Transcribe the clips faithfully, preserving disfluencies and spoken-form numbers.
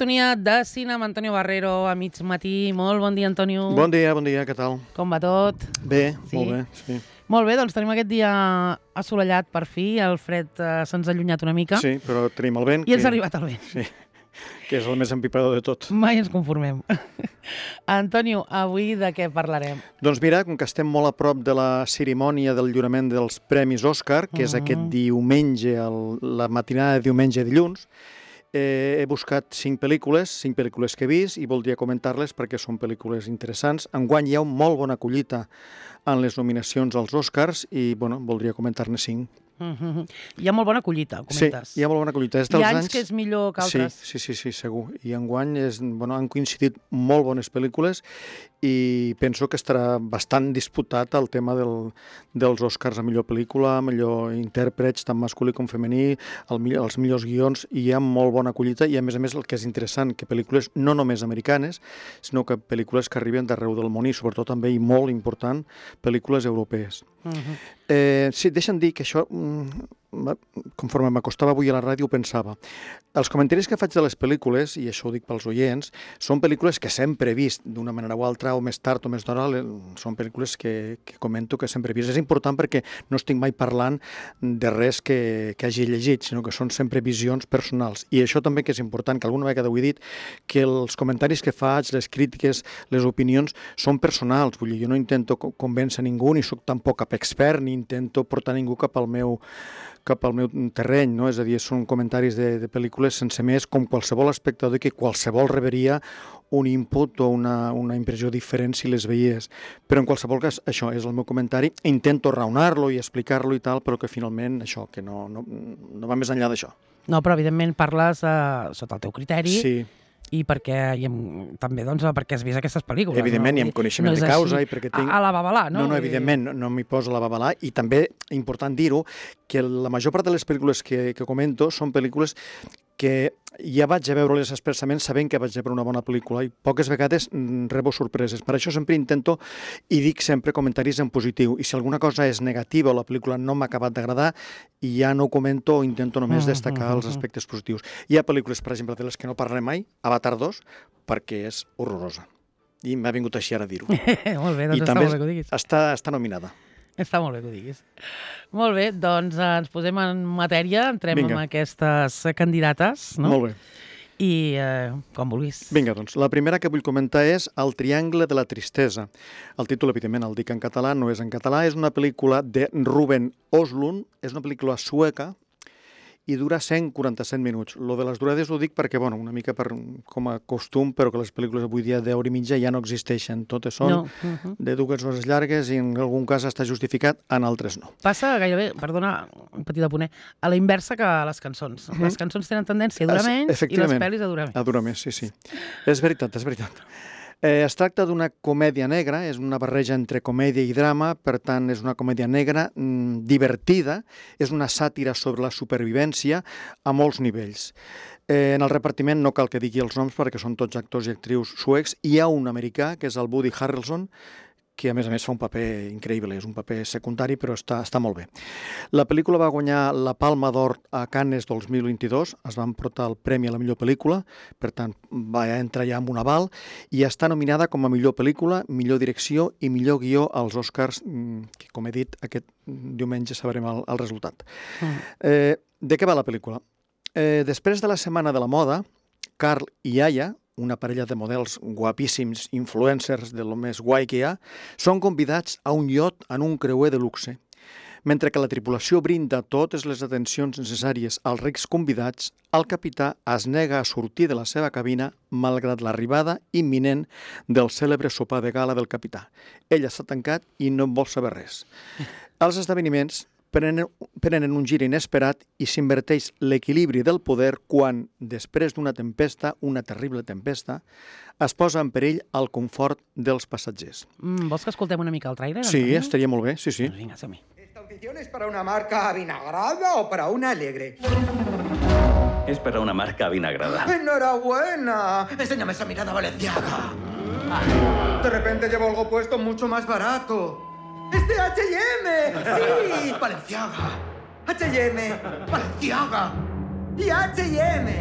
sintonia de cine amb Antonio Barrero a mig matí. Molt bon dia, Antonio. Bon dia, bon dia, què tal? Com va tot? Bé, Sí? molt bé, sí. Molt bé, doncs tenim aquest dia assolellat per fi, el fred eh, se'ns ha allunyat una mica Sí, però tenim el vent. i ens que... ha arribat el vent. Sí, que és el més empipador de tot. Mai ens conformem. Antonio, avui de què parlarem? Doncs mira, com que estem molt a prop de la cerimònia del lliurament dels Premis Òscar, que és Mm. aquest diumenge, el, la matinada de diumenge a dilluns, eh, he buscat cinc pel·lícules, cinc pel·lícules que he vist i voldria comentar-les perquè són pel·lícules interessants. Enguany hi ha una molt bona collita en les nominacions als Oscars i, bueno, voldria comentar-ne cinc. Mm -hmm. Hi ha molt bona collita, comentes. Sí, hi ha molt bona collita. És Hi dels ha anys anys que és millor que altres. Sí, sí, sí, sí, segur. I enguany és, bueno, han coincidit molt bones pel·lícules i penso que estarà bastant disputat el tema del, dels Oscars a millor pel·lícula, millor intèrprets, tant masculí com femení, el, millor, els millors guions, i hi ha molt bona collita i, a més a més, el que és interessant, que pel·lícules no només americanes, sinó que pel·lícules que arriben d'arreu del món i, sobretot, també, i molt important, pel·lícules europees. Uh -huh. Eh, sí, deixa'm dir que això, conforme m'acostava avui a la ràdio, ho pensava. Els comentaris que faig de les pel·lícules, i això ho dic pels oients, són pel·lícules que sempre he vist d'una manera o altra, o més tard o més d'hora, són pel·lícules que, que comento que sempre he vist. És important perquè no estic mai parlant de res que, que hagi llegit, sinó que són sempre visions personals. I això també que és important, que alguna vegada ho he dit, que els comentaris que faig, les crítiques, les opinions, són personals. Vull dir, jo no intento convèncer ningú, ni sóc tampoc cap expert, ni intento portar ningú cap al meu cap al meu terreny, no? És a dir, són comentaris de, de pel·lícules sense més, com qualsevol espectador que qualsevol rebria un input o una, una impressió diferent si les veies. Però en qualsevol cas, això és el meu comentari. Intento raonar-lo i explicar-lo i tal, però que finalment això, que no, no, no va més enllà d'això. No, però evidentment parles eh, sota el teu criteri. Sí. I perquè, i amb, també doncs, perquè has vist aquestes pel·lícules. Evidentment, no? i amb coneixement no de causa. Així, I perquè tinc... a la babalà, no? No, no, evidentment, no, no m'hi poso a la babalà. I també, important dir-ho, que la major part de les pel·lícules que, que comento són pel·lícules que ja vaig a veure-les expressament sabent que vaig a veure una bona pel·lícula i poques vegades rebo sorpreses. Per això sempre intento i dic sempre comentaris en positiu. I si alguna cosa és negativa o la pel·lícula no m'ha acabat d'agradar, ja no ho comento o intento només destacar els aspectes positius. Hi ha pel·lícules, per exemple, de les que no parlaré mai, Avatar dos, perquè és horrorosa. I m'ha vingut així ara a dir-ho. Molt bé, doncs I està també molt bé que ho diguis. Està, està nominada. Està molt bé que ho diguis. Molt bé, doncs ens posem en matèria, entrem Vinga. amb aquestes candidates, no? Molt bé. I eh, com vulguis. Vinga, doncs, la primera que vull comentar és El triangle de la tristesa. El títol, evidentment, el dic en català, no és en català. És una pel·lícula de Ruben Östlund, és una pel·lícula sueca i dura cent quaranta-set minuts. Lo de les durades ho dic perquè, bueno, una mica per, com a costum, però que les pel·lícules avui dia d'hora i mitja ja no existeixen. Totes són No. Uh -huh. de dues hores llargues i en algun cas està justificat, en altres no. Passa gairebé, perdona, un petit apunt, a la inversa que a les cançons. Les cançons tenen tendència a durar menys i les pel·lis a durar més. A durar més, sí, sí. És veritat, és veritat. Eh, es tracta d'una comèdia negra, és una barreja entre comèdia i drama, per tant, és una comèdia negra mmm, divertida, és una sàtira sobre la supervivència a molts nivells. Eh, en el repartiment no cal que digui els noms perquè són tots actors i actrius suecs. Hi ha un americà, que és el Woody Harrelson, que a més a més fa un paper increïble, és un paper secundari, però està, està molt bé. La pel·lícula va guanyar la Palma d'Or a Cannes dos mil vint-i-dos, es va emportar el premi a la millor pel·lícula, per tant va entrar ja amb un aval, i està nominada com a millor pel·lícula, millor direcció i millor guió als Oscars, que com he dit, aquest diumenge sabrem el, el resultat. Mm. Eh, de què va la pel·lícula? Eh, després de la Setmana de la Moda, Carl i Aya, una parella de models guapíssims, influencers de lo més guai que hi ha, són convidats a un iot en un creuer de luxe. Mentre que la tripulació brinda totes les atencions necessàries als rics convidats, el capità es nega a sortir de la seva cabina malgrat l'arribada imminent del cèlebre sopar de gala del capità. Ell està tancat i no en vol saber res. Els esdeveniments prenen, prenen un gir inesperat i s'inverteix l'equilibri del poder quan, després d'una tempesta, una terrible tempesta, es posa en perill el confort dels passatgers. Mm, vols que escoltem una mica el trailer? Sí, Antonio? estaria molt bé, sí, sí. Doncs vinga, som-hi. ¿Esta audición es para una marca avinagrada o para una alegre? Es para una marca avinagrada. ¡Enhorabuena! Enséñame esa mirada valenciaga. De repente llevo algo puesto mucho más barato. ¡Es de H y M! ¡Sí! ¡Valenciaga! H y M, Valenciaga y H y M.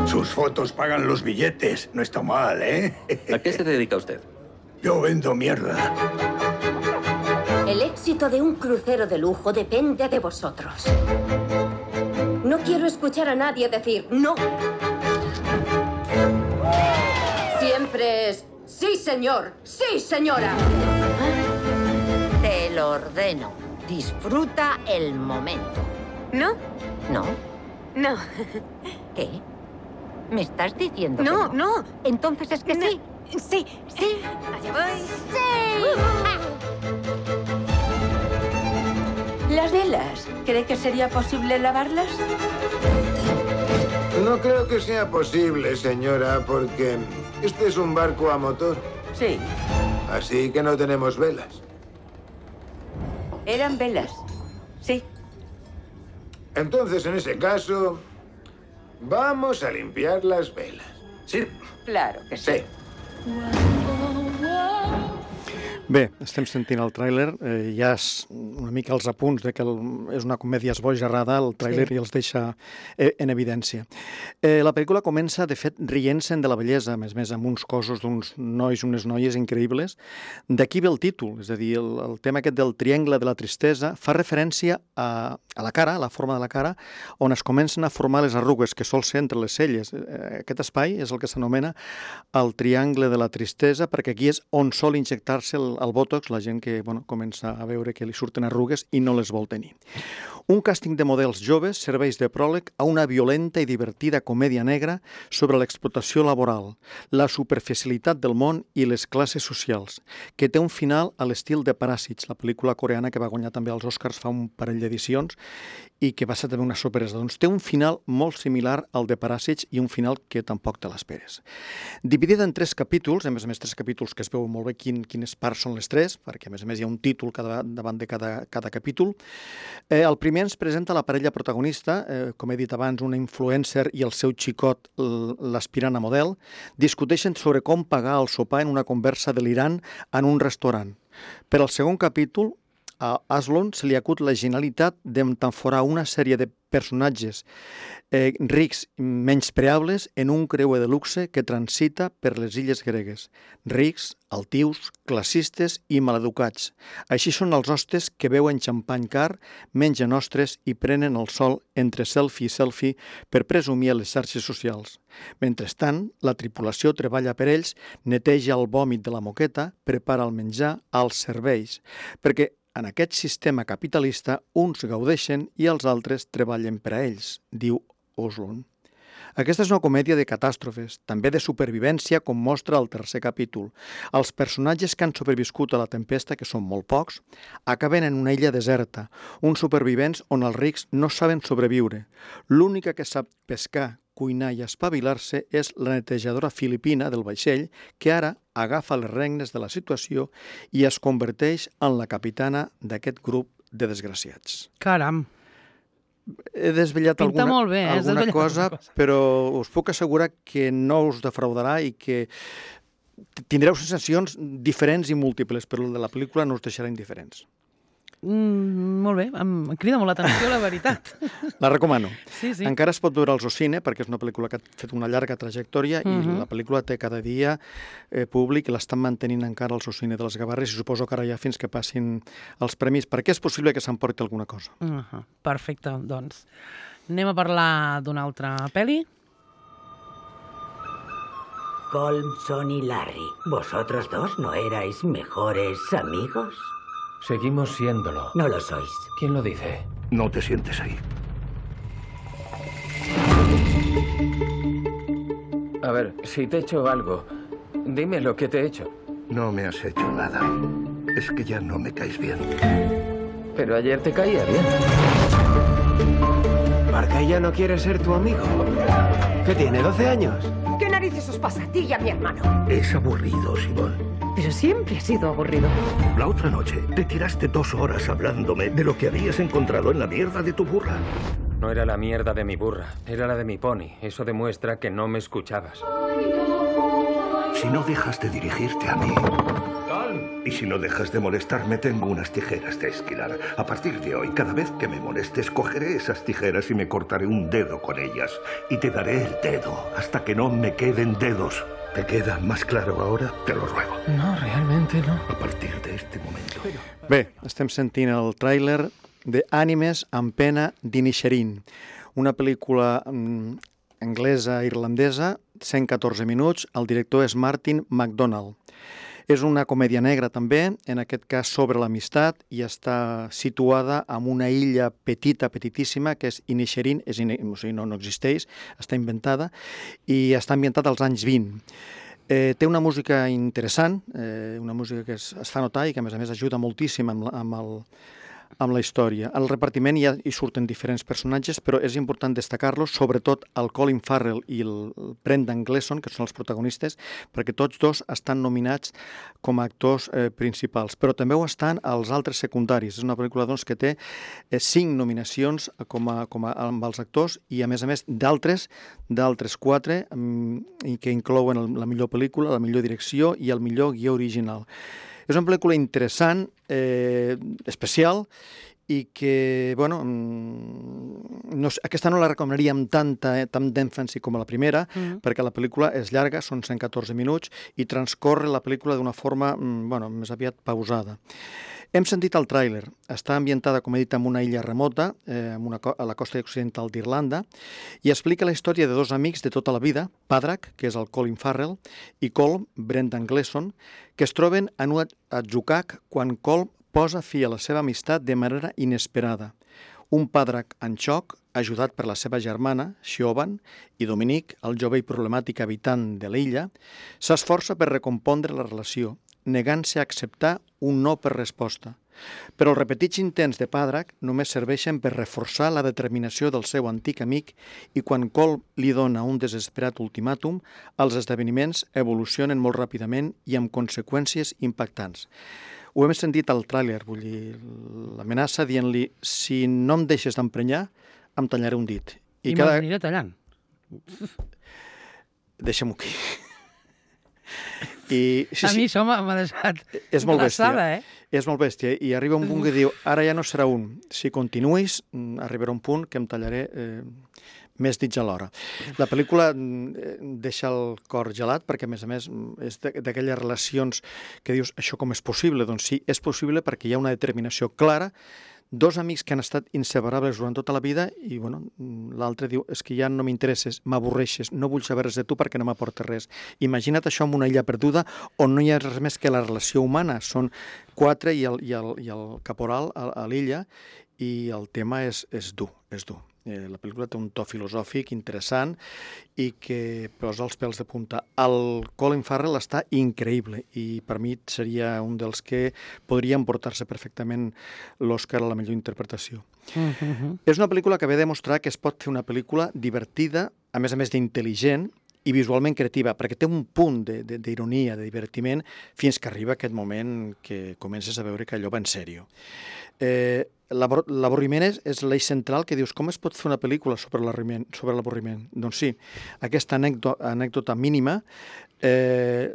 Sus fotos pagan los billetes. No está mal, ¿eh? ¿A qué se dedica usted? Yo vendo mierda. El éxito de un crucero de lujo depende de vosotros. No quiero escuchar a nadie decir no. Siempre es sí, señor, sí, señora. Te lo ordeno. Disfruta el momento. ¿No? ¿No? No. ¿Qué? ¿Me estás diciendo No, que no? no. Entonces es que No. sí. Sí. Sí. Allá voy. ¡Sí! Las velas. ¿Cree que sería posible lavarlas? No creo que sea posible, señora, porque este es un barco a motor. Sí. Así que no tenemos velas. Eran velas. Sí. Entonces, en ese caso, vamos a limpiar las velas. Sí. Claro que sí. Sí. Bé, estem sentint el tràiler, eh, ja és una mica els apunts de que el, és una comèdia esbojarrada, el tràiler sí. I els deixa eh, en evidència. Eh, la pel·lícula comença, de fet, rient-se'n de la bellesa, a més a més, amb uns cossos d'uns nois, unes noies increïbles. D'aquí ve el títol, és a dir, el, el tema aquest del triangle de la tristesa fa referència a, a la cara, a la forma de la cara, on es comencen a formar les arrugues que sol ser entre les celles. Eh, aquest espai és el que s'anomena el triangle de la tristesa, perquè aquí és on sol injectar-se el el Botox, la gent que bueno, comença a veure que li surten arrugues i no les vol tenir. Un càsting de models joves serveix de pròleg a una violenta i divertida comèdia negra sobre l'explotació laboral, la superficialitat del món i les classes socials, que té un final a l'estil de Paràsits, la pel·lícula coreana que va guanyar també els Oscars fa un parell d'edicions i que va ser també una sorpresa. Doncs té un final molt similar al de Paràsits i un final que tampoc te l'esperes. Dividida en tres capítols, a més a més tres capítols que es veu molt bé quin, quines parts són les tres, perquè a més a més hi ha un títol cada, davant de cada, cada capítol. Eh, el primer ens presenta la parella protagonista, eh, com he dit abans, una influencer i el seu xicot, l'aspirant a model, discuteixen sobre com pagar el sopar en una conversa delirant en un restaurant. Per al segon capítol, a Aslon se li acut la genialitat d'emtamforar una sèrie de personatges eh, rics menyspreables en un creuer de luxe que transita per les illes gregues. Rics, altius, classistes i maleducats. Així són els hostes que beuen xampany car, mengen ostres i prenen el sol entre selfie i selfie per presumir a les xarxes socials. Mentrestant, la tripulació treballa per ells, neteja el vòmit de la moqueta, prepara el menjar, els serveis, perquè en aquest sistema capitalista, uns gaudeixen i els altres treballen per a ells, diu Oslund. Aquesta és una comèdia de catàstrofes, també de supervivència, com mostra el tercer capítol. Els personatges que han sobreviscut a la tempesta, que són molt pocs, acaben en una illa deserta, uns supervivents on els rics no saben sobreviure. L'única que sap pescar, cuinar i espavilar-se és la netejadora filipina del vaixell, que ara agafa les regnes de la situació i es converteix en la capitana d'aquest grup de desgraciats. Caram! He desvetllat Pinta alguna, molt bé, eh? alguna desvetllat cosa, cosa, però us puc assegurar que no us defraudarà i que tindreu sensacions diferents i múltiples, però el de la pel·lícula no us deixarà indiferents. Mm, molt bé, em crida molt l'atenció, la veritat. La recomano. Sí, sí. Encara es pot veure al Zocine, perquè és una pel·lícula que ha fet una llarga trajectòria uh-huh. i la pel·lícula té cada dia eh, públic i l'estan mantenint encara al Zocine de les Gavarres i suposo que ara ja fins que passin els premis, perquè és possible que s'emporti alguna cosa. Uh-huh. Perfecte, doncs. Anem a parlar d'una altra pel·li. Colmson y Larry, ¿vosotros dos no erais mejores amigos? Seguimos siéndolo. No lo sois. ¿Quién lo dice? No te sientes ahí. A ver, si te he hecho algo, dime lo que te he hecho. No me has hecho nada. Es que ya no me caes bien. Pero ayer te caía bien. Marca ya no quiere ser tu amigo. ¿Qué tiene, doce años? ¿Qué narices os pasa a ti y a mi hermano? Es aburrido, Simón. Pero siempre ha sido aburrido. La otra noche te tiraste dos horas hablándome de lo que habías encontrado en la mierda de tu burra. No era la mierda de mi burra, era la de mi pony. Eso demuestra que no me escuchabas. Si no dejas de dirigirte a mí... Calm. Y si no dejas de molestarme, tengo unas tijeras de esquilar. A partir de hoy, cada vez que me molestes, cogeré esas tijeras y me cortaré un dedo con ellas. Y te daré el dedo hasta que no me queden dedos. ¿Te queda más claro ahora? Te lo ruego. No, realmente no. A partir de este momento. Bé, estem sentint el tràiler de Ànimes amb pena d'Inisherin, una pel·lícula mm, anglesa-irlandesa, cent catorze minuts, el director és Martin McDonagh. És una comèdia negra també, en aquest cas sobre l'amistat, i està situada en una illa petita, petitíssima, que és Inisherin, és in... o sigui, no, no existeix, està inventada, i està ambientat als anys vint. Eh, té una música interessant, eh, una música que es, es fa notar i que a més a més ajuda moltíssim amb, la, amb, el, amb la història. Al repartiment ja hi surten diferents personatges, però és important destacar-los, sobretot el Colin Farrell i el Brendan Gleeson, que són els protagonistes, perquè tots dos estan nominats com a actors eh, principals, però també ho estan els altres secundaris. És una pel·lícula doncs, que té eh, cinc nominacions com a, com a, amb els actors i, a més a més, d'altres, d'altres quatre, mm, que inclouen el, la millor pel·lícula, la millor direcció i el millor guió original. És una pel·lícula interessant, eh, especial, i que, bueno, no, aquesta no la recomanaria amb tanta, eh, tant d'èmfasi com a la primera, mm. perquè la pel·lícula és llarga, són cent catorze minuts, i transcorre la pel·lícula d'una forma, bueno, més aviat pausada. Hem sentit el tràiler. Està ambientada, com he dit, en una illa remota, eh, en una, a la costa occidental d'Irlanda, i explica la història de dos amics de tota la vida, Padraig, que és el Colin Farrell, i Colm, Brendan Gleeson, que es troben en un atzucac quan Colm posa fi a la seva amistat de manera inesperada. Un Padraig en xoc, ajudat per la seva germana, Siobhan, i Dominic, el jove i problemàtic habitant de l'illa, s'esforça per recompondre la relació, negant-se a acceptar un no per resposta. Però els repetits intents de Padraig només serveixen per reforçar la determinació del seu antic amic i quan Colm li dona un desesperat ultimàtum, els esdeveniments evolucionen molt ràpidament i amb conseqüències impactants. Ho hem sentit al tràiler, vull dir, l'amenaça dient-li si no em deixes d'emprenyar, em tallaré un dit. I, I cada... m'aniré tallant. Deixa'm-ho aquí. I, sí, a mi això m'ha deixat és molt glaçada, bèstia, eh? És molt bèstia, i arriba un punt que diu, ara ja no serà un, si continuïs, arribarà un punt que em tallaré eh, més dits alhora. La pel·lícula deixa el cor gelat, perquè a més a més és d'aquelles relacions que dius, això com és possible? Doncs sí, és possible perquè hi ha una determinació clara, dos amics que han estat inseparables durant tota la vida i bueno, l'altre diu, és que ja no m'interesses, m'avorreixes, no vull saber res de tu perquè no m'aporta res. Imagina't això en una illa perduda on no hi ha res més que la relació humana. Són quatre i el, i el, i el caporal a, a l'illa i el tema és, és dur, és dur. Eh, la pel·lícula té un to filosòfic interessant i que posa els pèls de punta. El Colin Farrell està increïble i per mi seria un dels que podria emportar-se perfectament l'Oscar a la millor interpretació. Mm-hmm. És una pel·lícula que ve a demostrar que es pot fer una pel·lícula divertida, a més a més d'intel·ligent, i visualment creativa, perquè té un punt d'ironia, de, de divertiment, fins que arriba aquest moment que comences a veure que allò va en sèrio. Eh, L'avorriment és, és l'eix central que dius, com es pot fer una pel·lícula sobre l'avorriment? Doncs sí, aquesta anècdota, anècdota mínima, eh,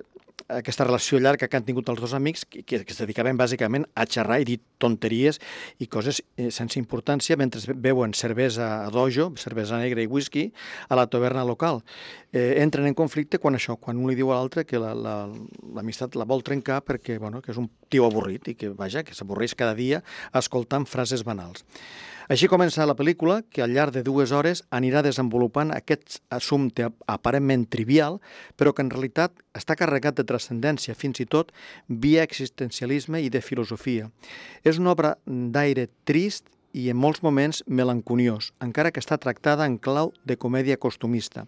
aquesta relació llarga que han tingut els dos amics, que, que es dedicaven bàsicament a xerrar i dir tonteries i coses eh, sense importància mentre beuen cervesa a dojo, cervesa negra i whisky, a la taverna local. Eh, entren en conflicte quan això, quan un li diu a l'altre que l'amistat la, la, la vol trencar perquè bueno, que és un tio avorrit i que, vaja, que s'avorreix cada dia escoltant frases banals. Així comença la pel·lícula, que al llarg de dues hores anirà desenvolupant aquest assumpte aparentment trivial, però que en realitat està carregat de transcendència, fins i tot via existencialisme i de filosofia. És una obra d'aire trist i en molts moments melanconiós, encara que està tractada en clau de comèdia costumista.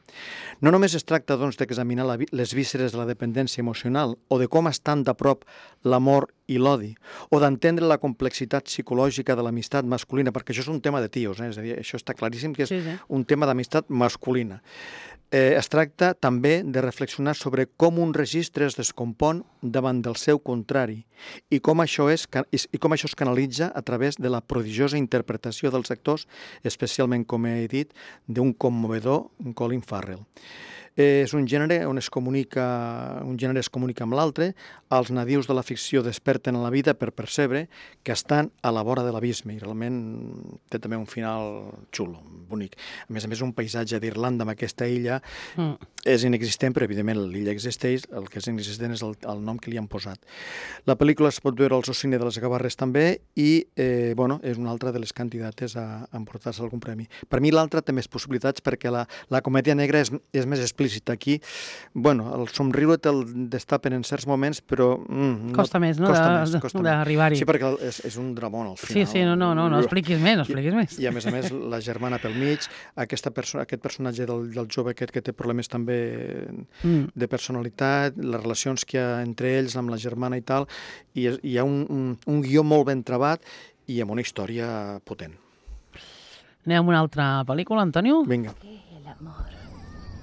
No només es tracta, doncs, d'examinar les vísceres de la dependència emocional o de com estan de prop l'amor i l'odi, o d'entendre la complexitat psicològica de l'amistat masculina, perquè això és un tema de tios, eh? És a dir, això està claríssim que és sí, sí. un tema d'amistat masculina. Eh, es tracta també de reflexionar sobre com un registre es descompon davant del seu contrari i com això, és, i com això es canalitza a través de la prodigiosa interpretació dels actors, especialment, com he dit, d'un commovedor Colin Farrell. És un gènere on es comunica, un gènere es comunica amb l'altre, els nadius de la ficció desperten a la vida per percebre que estan a la vora de l'abisme i realment té també un final xulo, bonic. A més a més, un paisatge d'Irlanda amb aquesta illa mm. és inexistent, però evidentment l'illa existeix, el que és inexistent és el, el nom que li han posat. La pel·lícula es pot veure al Cine de les Gavarres també i eh, bueno, és una altra de les candidates a, a emportar-se algun premi. Per mi l'altra té més possibilitats perquè la, la comèdia negra és, és més explícita. Aquí, bueno, el somriure te'l destapen en certs moments, però... Mm, costa no, més, no?, d'arribar-hi. Sí, perquè és, és un dramón al final. Sí, sí, no, no, no, no expliquis més, no expliquis més. I, I a més a més, la germana pel mig, aquesta perso aquest personatge del, del jove aquest que té problemes també mm. de personalitat, les relacions que hi ha entre ells amb la germana i tal, i hi ha un, un, un guió molt ben trebat i amb una història potent. Anem a una altra pel·lícula, Antonio? Vinga. El amor.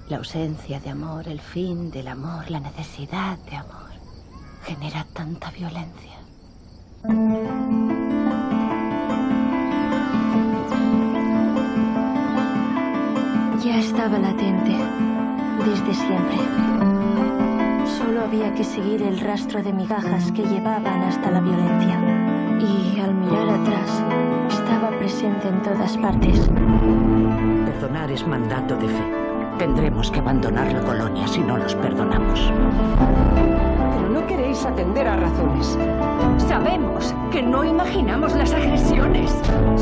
La ausencia de amor, el fin del amor, la necesidad de amor, genera tanta violencia. Ya estaba latente, desde siempre. Solo había que seguir el rastro de migajas que llevaban hasta la violencia. Y al mirar atrás, estaba presente en todas partes. Perdonar es mandato de fe. Tendremos que abandonar la colonia si no los perdonamos. Pero no queréis atender a razones. Sabemos que no imaginamos las agresiones.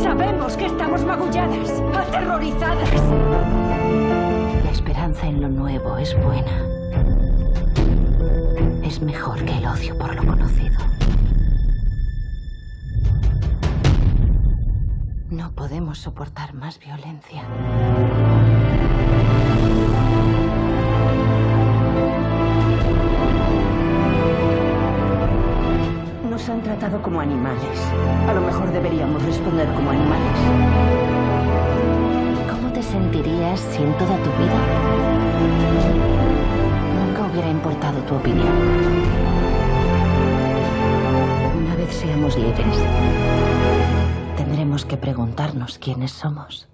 Sabemos que estamos magulladas, aterrorizadas. La esperanza en lo nuevo es buena. Es mejor que el odio por lo conocido. No podemos soportar más violencia. Nos han tratado como animales. A lo mejor deberíamos responder como animales. ¿Cómo te sentirías si en toda tu vida nunca hubiera importado tu opinión? Una vez seamos libres, tendremos que preguntarnos quiénes somos.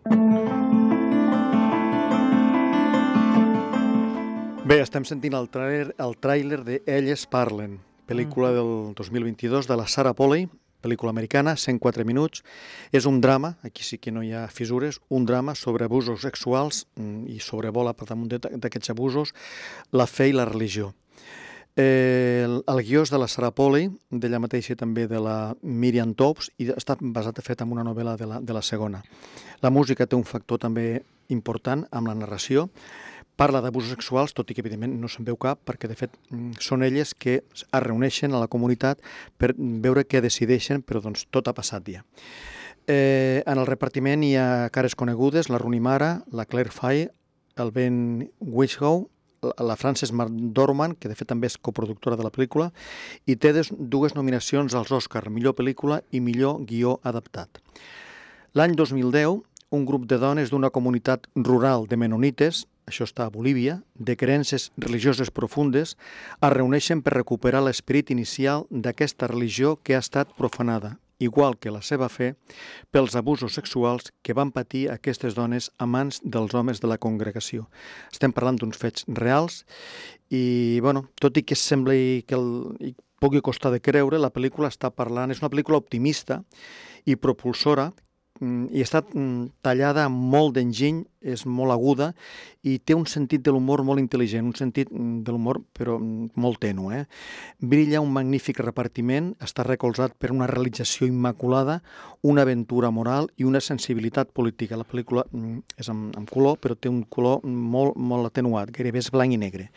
Bé, estem sentint el tràiler, el tràiler de Elles parlen, pel·lícula del dos mil vint-i-dos de la Sarah Polley, pel·lícula americana, cent quatre minuts. És un drama, aquí sí que no hi ha fissures, un drama sobre abusos sexuals i sobrevola per damunt d'aquests abusos la fe i la religió. Eh, el, el guió és de la Sarah Polley, d'ella mateixa també de la Miriam Toews, i està basat, de fet, en una novel·la de la, de la segona. La música té un factor també important amb la narració. Parla d'abusos sexuals, tot i que evidentment no se'n veu cap, perquè de fet són elles que es reuneixen a la comunitat per veure què decideixen, però doncs tot ha passat ja. Eh, en el repartiment hi ha cares conegudes, la Rooney Mara, la Claire Foy, el Ben Whishaw, la Frances McDormand, que de fet també és coproductora de la pel·lícula, i té dues nominacions als Oscar, millor pel·lícula i millor guió adaptat. L'any dos mil deu, un grup de dones d'una comunitat rural de menonites, això està a Bolívia, de creences religioses profundes, es reuneixen per recuperar l'esperit inicial d'aquesta religió que ha estat profanada, igual que la seva fe, pels abusos sexuals que van patir aquestes dones a mans dels homes de la congregació. Estem parlant d'uns fets reals i, bueno, tot i que sembli que el, pugui costar de creure, la pel·lícula està parlant, és una pel·lícula optimista i propulsora, i està tallada amb molt d'enginy, és molt aguda i té un sentit de l'humor molt intel·ligent, un sentit de l'humor però molt tènue. Eh? Brilla un magnífic repartiment, està recolzat per una realització immaculada, una aventura moral i una sensibilitat política. La pel·lícula és amb, amb color, però té un color molt, molt atenuat, gairebé és blanc i negre.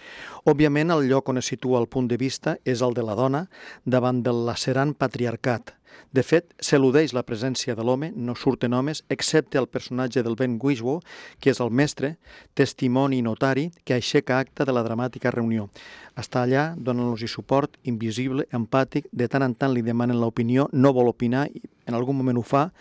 Òbviament, el lloc on es situa el punt de vista és el de la dona davant del lacerant patriarcat. De fet, s'eludeix la presència de l'home, no surten homes, excepte el personatge del Ben Whishaw, que és el mestre, testimoni i notari, que aixeca acta de la dramàtica reunió. Està allà, donant-los suport, invisible, empàtic, de tant en tant li demanen l'opinió, no vol opinar, i en algun moment ho fa,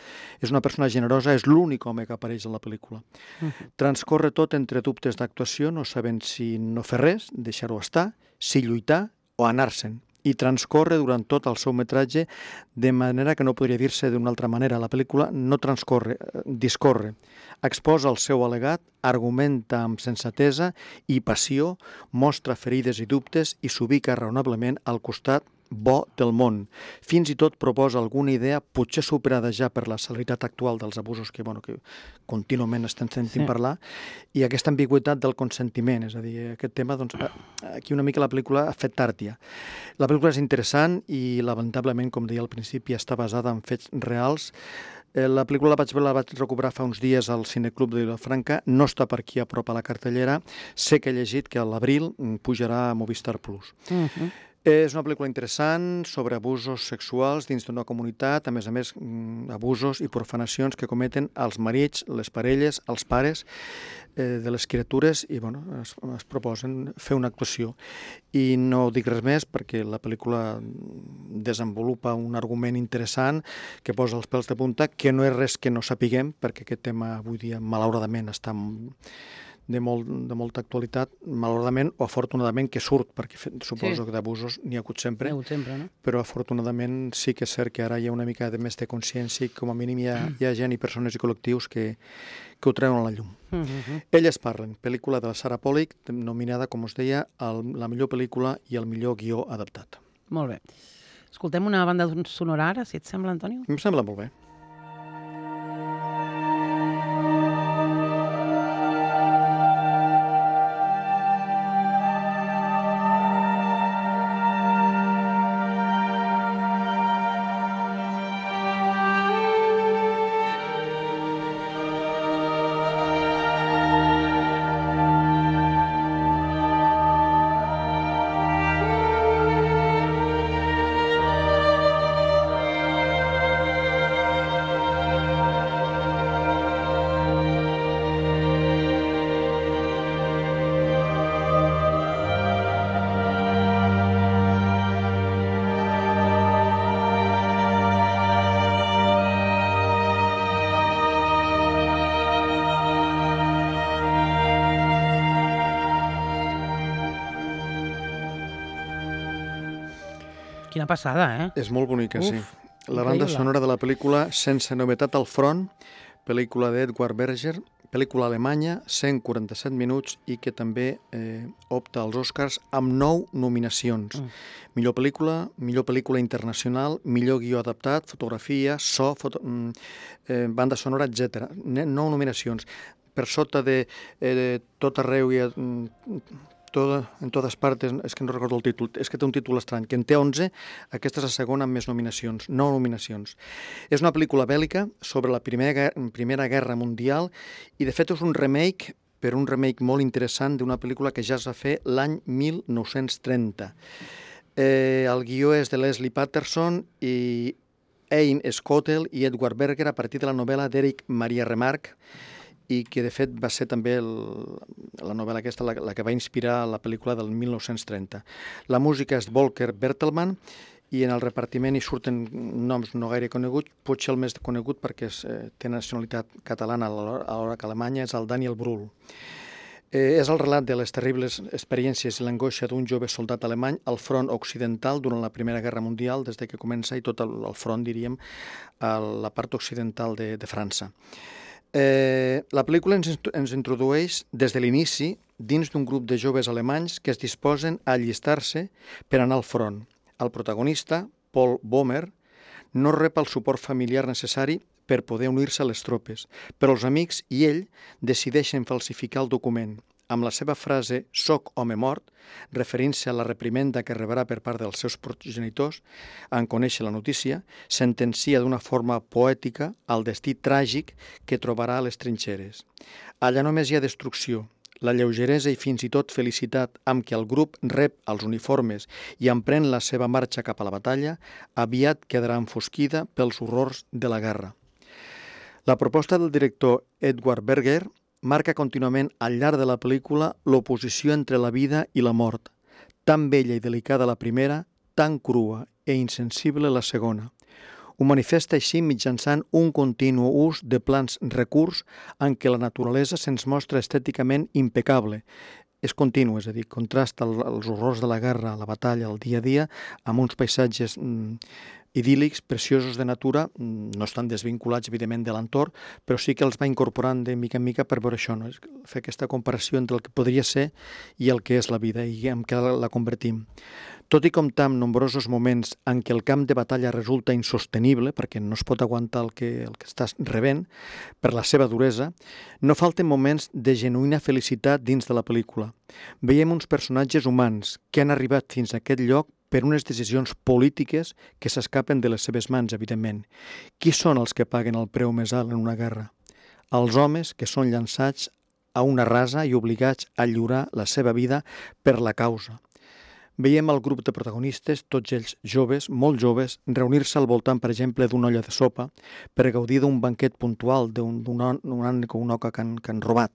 és una persona generosa, és l'únic home que apareix a la pel·lícula. Uh-huh. Transcorre tot entre dubtes d'actuació, no sabent si no fer res, deixar-ho estar, si lluitar o anar-se'n. i transcorre durant tot el seu metratge de manera que no podria dir-se d'una altra manera. La pel·lícula no transcorre, discorre, exposa el seu al·legat, argumenta amb sensatesa i passió, mostra ferides i dubtes i s'ubica raonablement al costat bo del món. Fins i tot proposa alguna idea, potser superada ja per la celeritat actual dels abusos que, bueno, que contínuament estem sentint sí. parlar, i aquesta ambigüitat del consentiment, és a dir, aquest tema, doncs, aquí una mica la pel·lícula ha fet tàrtia. La pel·lícula és interessant i, lamentablement, com deia al principi, està basada en fets reals. La pel·lícula la vaig, la vaig recuperar fa uns dies al Cineclub de Vilafranca, no està per aquí a prop a la cartellera, sé que he llegit que a l'abril pujarà a Movistar Plus. Uh-huh. És una pel·lícula interessant sobre abusos sexuals dins d'una comunitat, a més a més abusos i profanacions que cometen els marits, les parelles, els pares eh, de les criatures i bueno, es, es proposen fer una actuació. I no dic res més perquè la pel·lícula desenvolupa un argument interessant que posa els pèls de punta, que no és res que no sapiguem, perquè aquest tema avui dia malauradament està de, molt, de molta actualitat, malauradament o afortunadament que surt, perquè suposo sí. que d'abusos n'hi ha hagut sempre, ha hagut sempre no? Però afortunadament sí que és cert que ara hi ha una mica de més de consciència i com a mínim hi ha, hi ha gent i persones i col·lectius que, que ho treuen a la llum. Uh-huh. Elles parlen, pel·lícula de la Sarah Polley, nominada, com us deia, a la millor pel·lícula i el millor guió adaptat. Molt bé. Escoltem una banda sonora ara, si et sembla, Antonio? Em sembla molt bé. Quina passada, eh? És molt bonica, Uf, sí. La banda sonora de la pel·lícula Sense novetat al front, pel·lícula d'Edward Berger, pel·lícula alemanya, cent quaranta-set minuts i que també eh, opta als Oscars amb nou nominacions. Mm. Millor pel·lícula, millor pel·lícula internacional, millor guió adaptat, fotografia, so, foto, eh, banda sonora, etcètera. Nou nominacions. Per sota de eh, tot arreu i... Eh, Toda, en totes partes, és que no recordo el títol, és que té un títol estrany, que en té onze, aquesta és la segona amb més nominacions, nou nominacions. És una pel·lícula bèl·lica sobre la primera, primera Guerra Mundial i de fet és un remake, però un remake molt interessant d'una pel·lícula que ja es va fer l'any mil nou-cents trenta. Eh, el guió és de Leslie Patterson i Ein Scotell i Edward Berger a partir de la novel·la d'Eric Maria Remarque, i que de fet va ser també el, la novel·la aquesta la, la que va inspirar la pel·lícula del mil nou-cents trenta. La música és Volker Bertelmann i en el repartiment hi surten noms no gaire coneguts, potser el més conegut perquè és, eh, té nacionalitat catalana alhora que alemanya, és el Daniel Brühl. Eh, és el relat de les terribles experiències i l'angoixa d'un jove soldat alemany al front occidental durant la Primera Guerra Mundial, des de que comença, i tot el, el front, diríem, a la part occidental de, de França. Eh, la pel·lícula ens, ens introdueix des de l'inici dins d'un grup de joves alemanys que es disposen a allistar-se per anar al front. El protagonista, Paul Bomer, no rep el suport familiar necessari per poder unir-se a les tropes, però els amics i ell decideixen falsificar el document. Amb la seva frase «soc home mort», referint-se a la reprimenda que rebrà per part dels seus progenitors en conèixer la notícia, sentencia d'una forma poètica el destí tràgic que trobarà a les trinxeres. Allà només hi ha destrucció, la lleugeresa i fins i tot felicitat amb què el grup rep els uniformes i emprèn la seva marxa cap a la batalla, aviat quedarà enfosquida pels horrors de la guerra. La proposta del director Edward Berger marca contínuament al llarg de la pel·lícula l'oposició entre la vida i la mort, tan bella i delicada la primera, tan crua i insensible la segona. Ho manifesta així mitjançant un continu ús de plans recurs en què la naturalesa se'ns mostra estèticament impecable, és continu, és a dir, contrasta els horrors de la guerra, la batalla, el dia a dia, amb uns paisatges mm, idíl·lics, preciosos de natura, no estan desvinculats, evidentment, de l'entorn, però sí que els va incorporant de mica en mica per veure això, no? Fer aquesta comparació entre el que podria ser i el que és la vida i en què la convertim. Tot i comptar amb nombrosos moments en què el camp de batalla resulta insostenible, perquè no es pot aguantar el que, el que estàs rebent per la seva duresa, no falten moments de genuïna felicitat dins de la pel·lícula. Veiem uns personatges humans que han arribat fins a aquest lloc per unes decisions polítiques que s'escapen de les seves mans, evidentment. Qui són els que paguen el preu més alt en una guerra? Els homes que són llançats a una rasa i obligats a lliurar la seva vida per la causa. Veiem el grup de protagonistes, tots ells joves, molt joves, reunir-se al voltant, per exemple, d'una olla de sopa per gaudir d'un banquet puntual, d'un ane o una oca que han, que han robat.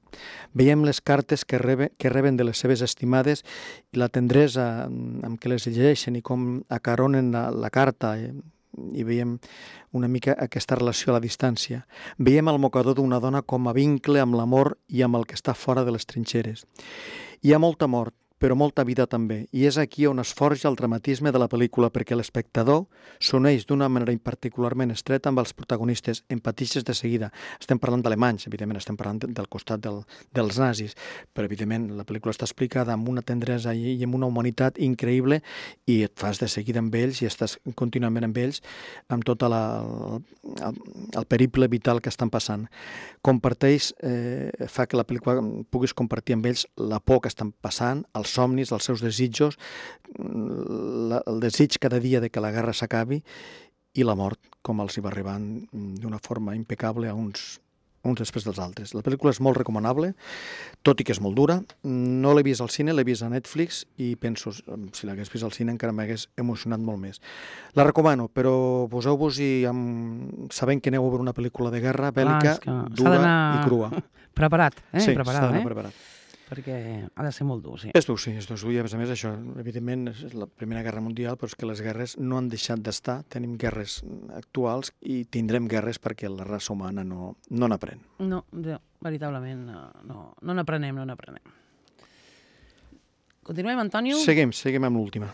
Veiem les cartes que, rebe, que reben de les seves estimades i la tendresa amb què les llegeixen i com acaronen la, la carta, eh? I veiem una mica aquesta relació a la distància. Veiem el mocador d'una dona com a vincle amb l'amor i amb el que està fora de les trinxeres. Hi ha molta mort, però molta vida també, i és aquí on es forja el dramatisme de la pel·lícula, perquè l'espectador s'uneix d'una manera particularment estreta amb els protagonistes, empatitxes de seguida. Estem parlant d'alemanys, evidentment, estem parlant del costat del, dels nazis, però evidentment la pel·lícula està explicada amb una tendresa i, i amb una humanitat increïble i et fas de seguida amb ells i estàs contínuament amb ells, amb tot la, el, el periple vital que estan passant. Comparteix, eh, fa que la pel·lícula puguis compartir amb ells la por que estan passant, el els somnis, els seus desitjos, la, el desig cada dia de que la guerra s'acabi i la mort, com els hi va arribant d'una forma impecable a uns, uns després dels altres. La pel·lícula és molt recomanable, tot i que és molt dura. No l'he vist al cine, l'he vist a Netflix i penso, si l'hagués vist al cine encara m'hagués emocionat molt més. La recomano, però poseu-vos-hi sabent que aneu a veure una pel·lícula de guerra bèl·lica, ah, dura i crua. Preparat, eh? Sí, preparat, s'ha d'anar eh? preparat. Perquè ha de ser molt dur, sí. És dur, sí, és dur. I a més a més això, evidentment, és la Primera Guerra Mundial, però és que les guerres no han deixat d'estar. Tenim guerres actuals i tindrem guerres perquè la raça humana no no n'aprèn. No, veritablement, no no n'aprenem, no n'aprenem. Continuem, Antonio? Seguim, seguim amb l'última.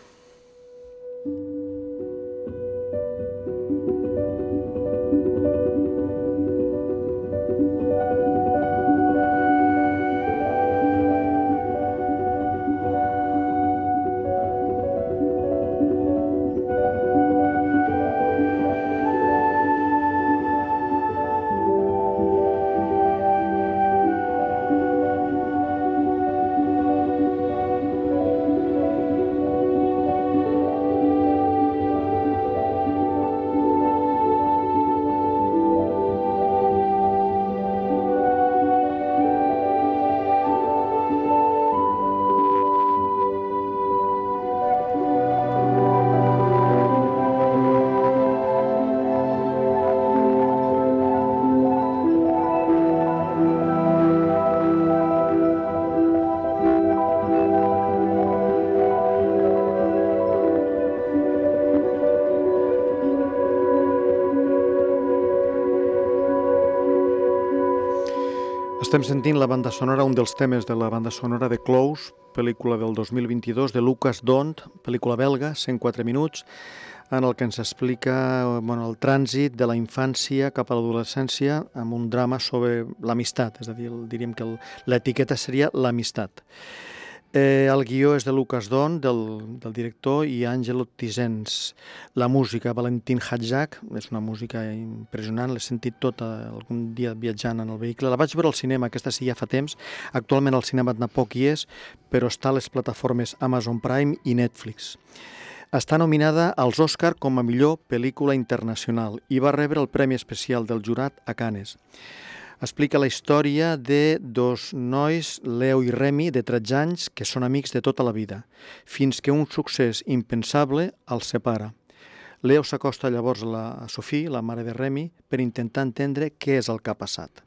Estem sentint la banda sonora, un dels temes de la banda sonora de Close, pel·lícula del dos mil vint-i-dos, de Lucas Dont, pel·lícula belga, cent quatre minuts, en el que ens explica bueno, el trànsit de la infància cap a l'adolescència amb un drama sobre l'amistat, és a dir, diríem que l'etiqueta seria l'amistat. Eh, el guió és de Lucas Dont, del, del director, i Angelo Tizens. La música, Valentin Hadjak, és una música impressionant, l'he sentit tota algun dia viatjant en el vehicle. La vaig veure al cinema, aquesta sí ja fa temps. Actualment al cinema tampoc hi és, però està a les plataformes Amazon Prime i Netflix. Està nominada als Oscar com a millor pel·lícula internacional i va rebre el Premi Especial del Jurat a Cannes. Explica la història de dos nois, Leo i Remy, de tretze anys, que són amics de tota la vida, fins que un succés impensable els separa. Leo s'acosta llavors a, la, a Sophie, la mare de Remy, per intentar entendre què és el que ha passat.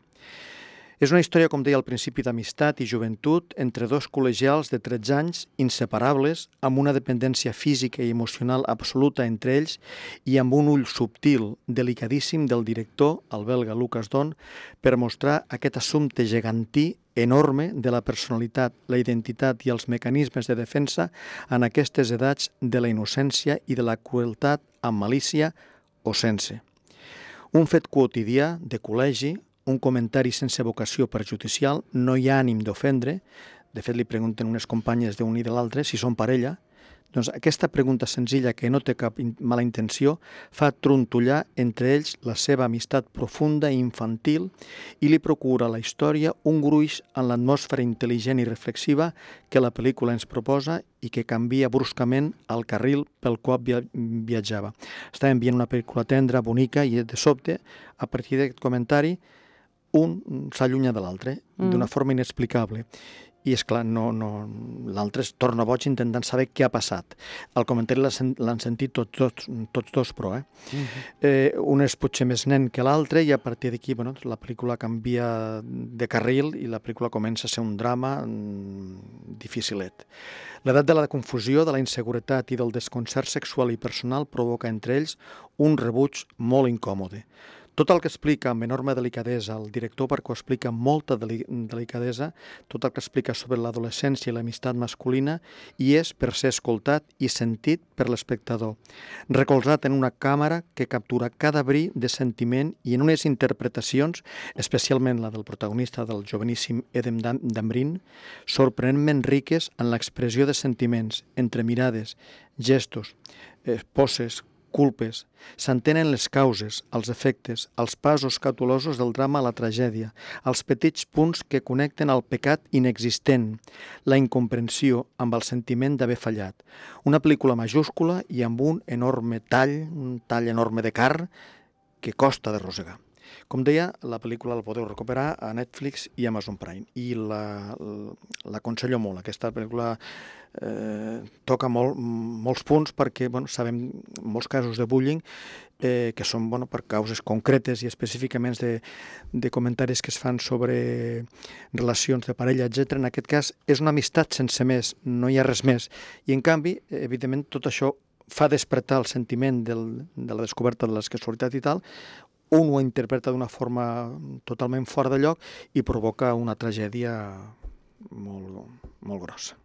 És una història, com deia al principi, d'amistat i joventut entre dos col·legials de tretze anys, inseparables, amb una dependència física i emocional absoluta entre ells i amb un ull subtil, delicadíssim del director, el belga Lucas Don, per mostrar aquest assumpte gegantí enorme de la personalitat, la identitat i els mecanismes de defensa en aquestes edats de la innocència i de la crueltat amb malícia o sense. Un fet quotidià de col·legi, un comentari sense vocació perjudicial, no hi ha ànim d'ofendre. De fet, li pregunten unes companyes d'un i de l'altre si són parella. Doncs aquesta pregunta senzilla, que no té cap mala intenció, fa trontollar entre ells la seva amistat profunda i infantil i li procura a la història un gruix en l'atmosfera intel·ligent i reflexiva que la pel·lícula ens proposa i que canvia bruscament el carril pel qual viatjava. Estàvem veient una pel·lícula tendra, bonica, i de sobte, a partir d'aquest comentari, un s'allunya de l'altre, mm. d'una forma inexplicable. I, esclar, no, no, l'altre es torna boig intentant saber què ha passat. El comentari l'han sentit tots, tots, tots dos, però, eh? Mm-hmm. eh? Un és potser més nen que l'altre i a partir d'aquí, bueno, la pel·lícula canvia de carril i la pel·lícula comença a ser un drama mm, dificilet. L'edat de la confusió, de la inseguretat i del desconcert sexual i personal provoca entre ells un rebuig molt incòmode. Tot el que explica amb enorme delicadesa el director, perquè ho explica amb molta delicadesa, tot el que explica sobre l'adolescència i l'amistat masculina, i és per ser escoltat i sentit per l'espectador, recolzat en una càmera que captura cada bri de sentiment i en unes interpretacions, especialment la del protagonista del joveníssim Edem Dambrin, sorprenentment riques en l'expressió de sentiments, entre mirades, gestos, eh, poses, culpes. S'entenen les causes, els efectes, els passos cautelosos del drama a la tragèdia, els petits punts que connecten al pecat inexistent, la incomprensió amb el sentiment d'haver fallat. Una pel·lícula majúscula i amb un enorme tall, un tall enorme de car que costa de rosegar. Com deia, la pel·lícula la podeu recuperar a Netflix i Amazon Prime i l'aconsello molt. Aquesta pel·lícula eh, toca molt, molts punts perquè bueno, sabem molts casos de bullying eh, que són bueno, per causes concretes i específicament de, de comentaris que es fan sobre relacions de parella, etcètera. En aquest cas és una amistat sense més, no hi ha res més. I en canvi, evidentment, tot això fa despertar el sentiment del, de la descoberta de la sexualitat i tal. Un ho interpreta d'una forma totalment fora de lloc i provoca una tragèdia molt, molt grossa.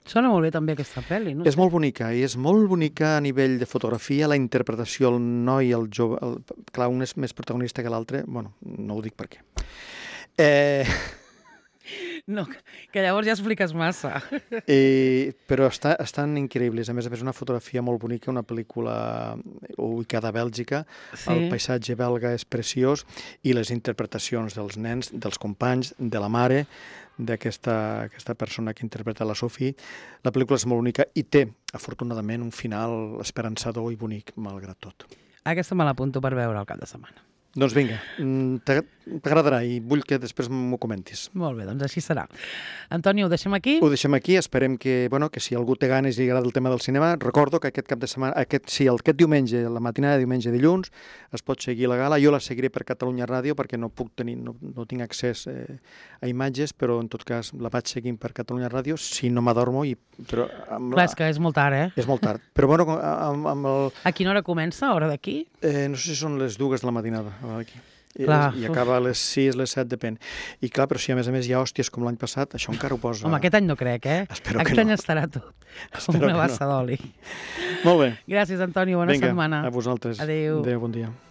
Sona molt bé també aquesta pel·li, no? És molt bonica, i és molt bonica a nivell de fotografia, la interpretació, el noi, el jove... El, clar, un és més protagonista que l'altre, bueno, no ho dic per què. Eh... No, que llavors ja expliques massa. Eh, però està, estan increïbles. A més a més, una fotografia molt bonica, una pel·lícula ubicada a Bèlgica. Sí. El paisatge belga és preciós i les interpretacions dels nens, dels companys, de la mare, d'aquesta aquesta persona que interpreta la Sophie. La pel·lícula és molt bonica i té, afortunadament, un final esperançador i bonic, malgrat tot. Aquesta me l'apunto per veure el cap de setmana. Doncs vinga, t'agradarà i vull que després m'ho comentis. Molt bé, doncs així serà. Antoni, ho deixem aquí? Ho deixem aquí, esperem que, bueno, que si algú té ganes i li agrada el tema del cinema, recordo que aquest cap de setmana, aquest, sí, aquest diumenge, la matinada de diumenge dilluns, es pot seguir la gala. Jo la seguiré per Catalunya Ràdio perquè no puc tenir, no, no tinc accés eh, a imatges, però en tot cas la vaig seguint per Catalunya Ràdio, si no m'adormo. I, però amb Clar, la... és que és molt tard, eh? És molt tard. Però bueno, amb, amb el... A quina hora comença, hora d'aquí? Eh, no sé si són les dues de la matinada. Aquí. Clar, I acaba a les sis, les set, depèn. I clar, però si a més a més hi ha hòsties com l'any passat, això encara ho posa... Home, aquest any no crec, eh? Espero aquest que any no. estarà tot, com Espero una bassa no. d'oli. Molt bé. Gràcies, Antoni, bona Vinga, setmana. a vosaltres. Adéu. Adéu, bon dia.